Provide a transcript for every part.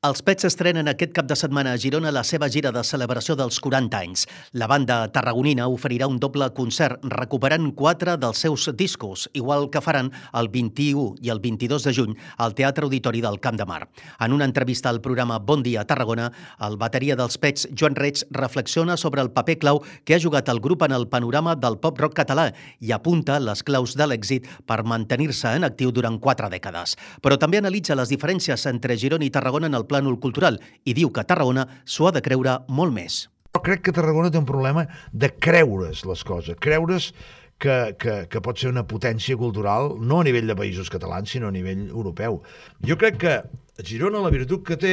Els Pets estrenen aquest cap de setmana a Girona la seva gira de celebració dels 40 anys. La banda tarragonina oferirà un doble concert recuperant 4 dels seus discos, igual que faran el 21 i el 22 de juny al Teatre Auditori del Camp de Mar. En una entrevista al programa Bon Dia Tarragona, el bateria dels Pets, Joan Reig, reflexiona sobre el paper clau que ha jugat el grup en el panorama del pop-rock català i apunta les claus de l'èxit per mantenir-se en actiu durant 4 dècades. Però també analitza les diferències entre Girona i Tarragona en el plànol cultural i diu que Tarragona s'ho ha de creure molt més. Jo crec que Tarragona té un problema de creure's les coses, creure's que pot ser una potència cultural, no a nivell de països catalans, sinó a nivell europeu. Jo crec que Girona la virtut que té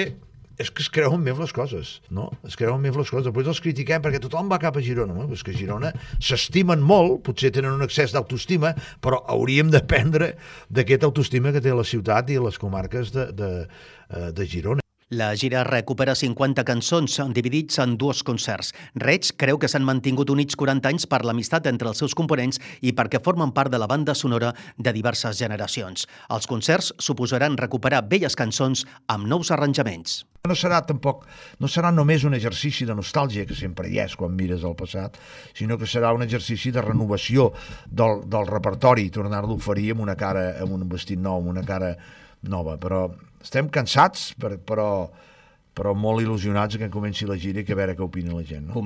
és que es creuen més les coses, no? Es creuen més les coses. Després els critiquem perquè tothom va cap a Girona, no? Pues que a Girona s'estimen molt, potser tenen un excés d'autoestima, però hauríem d'aprendre d'aquest autoestima que té la ciutat i les comarques de Girona. La gira recupera 50 cançons dividits en 2 concerts. Reig creu que s'han mantingut units 40 anys per l'amistat entre els seus components i perquè formen part de la banda sonora de diverses generacions. Els concerts suposaran recuperar velles cançons amb nous arranjaments. No serà només un exercici de nostàlgia, que sempre hi és quan mires el passat, sinó que serà un exercici de renovació del repertori, tornar-lo a oferir amb una cara, amb un vestit nou, amb una cara nova. Però estem cansats, però molt il·lusionats que comenci la gira i que a veure què opina la gent. No?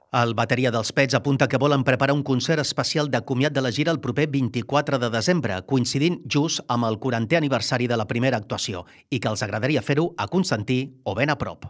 El bateria dels Pets apunta que volen preparar un concert especial de comiat de la gira el proper 24 de desembre, coincidint just amb el 40è aniversari de la primera actuació, i que els agradaria fer-ho a Constantí o ben a prop.